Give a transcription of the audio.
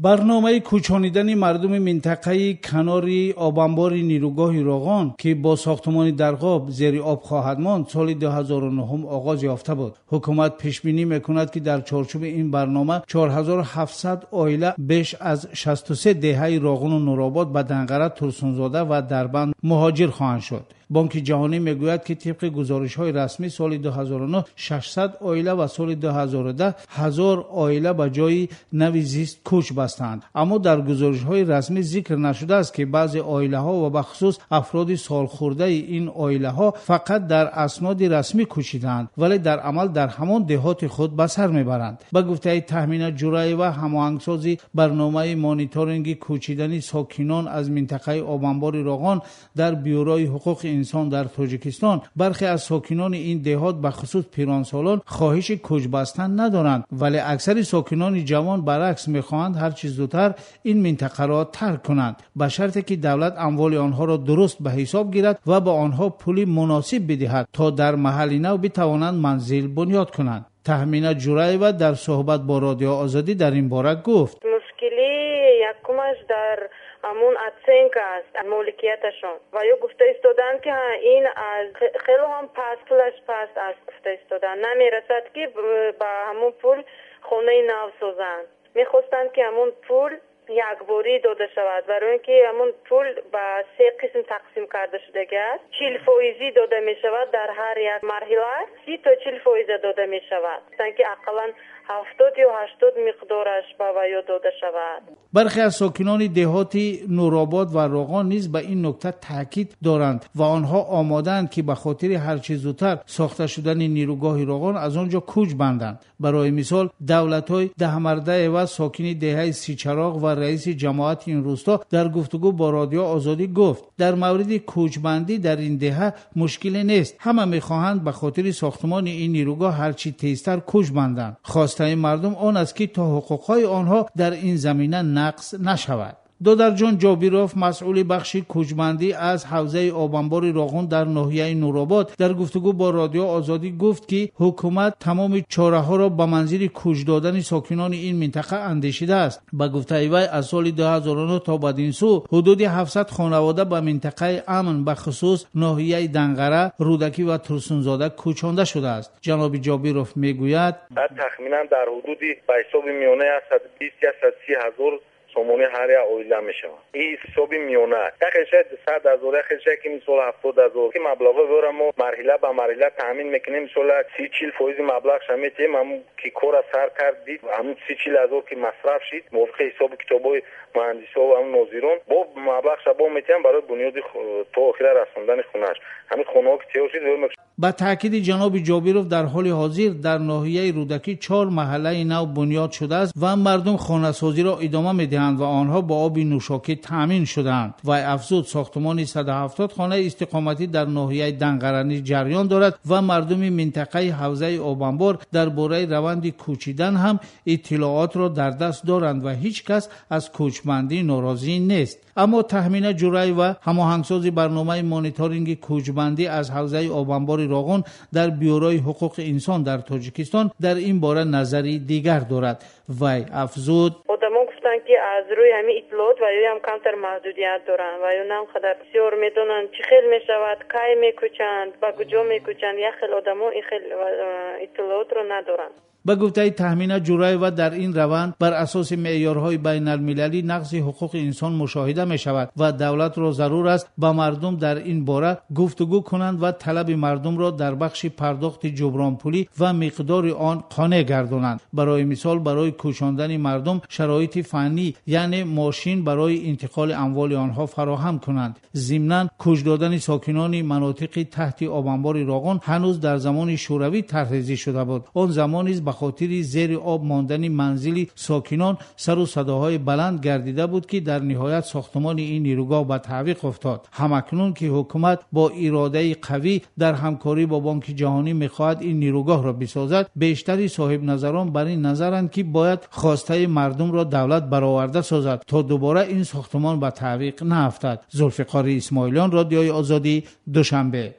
Барномаи кӯчонидани мардуми минтақаи канори обанбори нерӯгоҳи Роғон, ки бо сохтмони дарғоб зери об хоҳад монд, соли 2009 оғоз ёфта буд. Ҳукумат пешбинӣ мекунад, ки дар чорчӯби ин барнома 4700 оила беш аз 63 деҳаи Роғону Нуробод ба Данғара, Турсунзода ва Дарбанд муҳоҷир хоҳанд шуд. Бонки Ҷаҳонӣ мегӯяд, ки тибқи гузоришҳои расмӣ соли 2009 600 оила ва соли 2010 1000 оила ба ҷои нави зист кӯч бастанд. Аммо дар гузоришҳои расмӣ зикр нашудааст, ки баъзе оилаҳо ва бахусус афроди солхӯрдаи ин оилаҳо фақат дар асноди расмӣ кӯчидаанд, вале дар амал дар ҳамон деҳоти худ ба сар мебаранд. Ба гуфтаи Таҳмина Ҷураева, ҳамоҳангсози барномаи мониторинги кӯчидани сокинон аз минтақаи обанбори Роғон дар Бюрои ҳуқуқи инсон дар Тоҷикистон, бархе аз сокинони ин деҳот, бахусус пиронсолон, хоҳиши кӯчбастан надоранд, вале аксари сокинони ҷавон баръакс мехоҳанд ҳарчи зудтар ин минтақаро тарк кунанд, ба шарте ки давлат амволи онҳоро дуруст ба ҳисоб гирад ва ба онҳо пули муносиб бидиҳад, то дар маҳалли нав битавонанд манзил бунёд кунанд. Таҳмина Ҷураева дар суҳбат бо Радио Озодӣ дар ин бора гуфт: мушкили якумаш дар ҳамун оценка аст моликияташон ва ё гуфта истоданд, ки ин аз хело ҳам паст, пулаш паст аст, гуфта истоданд, намерасад, ки ба ҳамун пул хонаи нав созанд. Мехостанд, ки ҳамун пул якборӣ дода шавад, барои ин ки ҳамун пул ба се қисм тақсим карда шудагӣ аст. 40 фоизӣ дода мешавад дар ҳар як марҳила, 30 то 40 фоиза дода мешавад, ки ақаллан 70 ё 80 миқдораш ба ваё дода шавад. Бархе аз сокинони деҳоти Нуробод ва Роғон низ ба ин нукта таъкид доранд ва онҳо омодаанд, ки ба хотири ҳарчи зудтар сохта шудани нерӯгоҳи Роғон аз он ҷо кӯч банданд. Барои мисол, Давлатой Даҳмардаева, сокини деҳаи Сичароғ ва раиси ҷамоати ин рӯсто, дар гуфтугӯ бо Радио Озодӣ гуфт: дар мавриди кӯчбандӣ дар ин деҳа мушкиле нест. Ҳама мехоҳанд ба хотири сохтмони ин нерӯгоҳ ҳарчи тезтар кӯч банданд. Хостаи мардум он аст, ки то ҳуқуқҳои онҳо дар ин замина нақз нашавад. Додарҷон Ҷобиров, масъули бахши кӯчбандӣ аз ҳавзаи обанбори Роғун дар ноҳияи Нуробод, дар гуфтугӯ бо Радио Озодӣ гуфт, ки ҳукумат тамоми чораҳоро ба манзили кӯч додани сокинони ин минтақа андешидааст. Ба гуфтаи вай, аз соли 2009 то бадин сӯ ҳудуди 700 хонавода ба минтақаи амн, бахусус ноҳияи Данғара, Рӯдакӣ ва Турсунзода кӯчонда шудааст. Ҷаноби Ҷобиров мегӯяд: Тахминан дар ҳудуди ба ҳисоби миёна 120, 130 ҳазор сомонӣ ҳар як оила мешавад. Ин ҳисоби миёна, як хелшай 100 ҳазор, як хелшай ки мисол 70 ҳазор, ки маблағҳои мо марҳила ба марҳила таъмин мекунем. Мисол, 30-40 фоизи маблағша метиҳем. Ҳамун ки кора сар кард, дид, ҳамун 30-40 ҳазор ки масраф шид, мувофиқи ҳисобу китобҳои муҳандисҳо ва ҳамун нозирон, бо маблағша бо метиҳам барои бунёди, то охира расондани хонааш. Ҳамин хонаҳо ки тайёр шид. Ба таъкиди ҷаноби Ҷобиров, дар ҳоли ҳозир дар ноҳияи Рӯдакӣ чор маҳаллаи нав бунёд шудааст ва мардум хонасозиро идома медиҳанд ва онҳо бо оби нӯшокӣ таъмин шудаанд. Вай афзуд, сохтмони 170 хонаи истиқоматӣ дар ноҳияи Данғара низ ҷараён дорад ва мардуми минтақаи ҳавзаи обанбор дар бораи раванди кӯчидан ҳам иттилоотро дар даст доранд ва ҳеҷ кас аз кӯчбандӣ норозӣ нест. Аммо Таҳмина Ҷураева, ҳамоҳангсози барномаи мониторинги кӯчбандӣ аз ҳавзаи обанбори Роғун дар Бюрои ҳуқуқи инсон дар Тоҷикистон, дар ин бора назари дигар дорад. Вай афзуд: Одамо гуфтанд, ки аз рӯи ҳамин иттилоот ва ёам камтар маҳдудият доранд ва ё на он қадар бисёр медонанд, чӣ хел мешавад, кай мекӯчанд, ба куҷо мекӯчанд. Як хел одамо ин хел иттилоотро надоранд. Ба гуфтаи Таҳмина Ҷураева, дар ин раванд бар асоси меъёрҳои байналмилалӣ нақзи ҳуқуқи инсон мушоҳида мешавад ва давлатро зарур аст ба мардум дар ин бора гуфтугӯ кунанд ва талаби мардумро дар бахши пардохти ҷубронпулӣ ва миқдори он қонеъ гардонанд. Барои мисол, барои кӯчондани мардум шароити фаннӣ, яъне мошин барои интиқоли амволи онҳо фароҳам кунанд. Зимнан, кӯч додани сокинони манотиқи таҳти обанбори Роғун ҳанӯз дар замони Шӯравӣ тарҳрезӣ шуда буд. Он замон низ ба хотири зери об мондани манзили сокинон сару садоҳои баланд гардида буд, ки дар ниҳоят сохтмони ин нерӯгоҳ ба таъвиқ афтод. Ҳамакнун ки ҳукумат бо иродаи қавӣ дар ҳамкорӣ бо Бонки Ҷаҳонӣ мехоҳад ин нерӯгоҳро бисозад, бештари соҳибназарон бар ин назаранд, ки бояд хостаи мардумро давлат бароварда созад, то дубора ин сохтмон ба таъвиқ наафтад. Зулфиқори Исмоилиён, Радиои Озодӣ, Душанбе.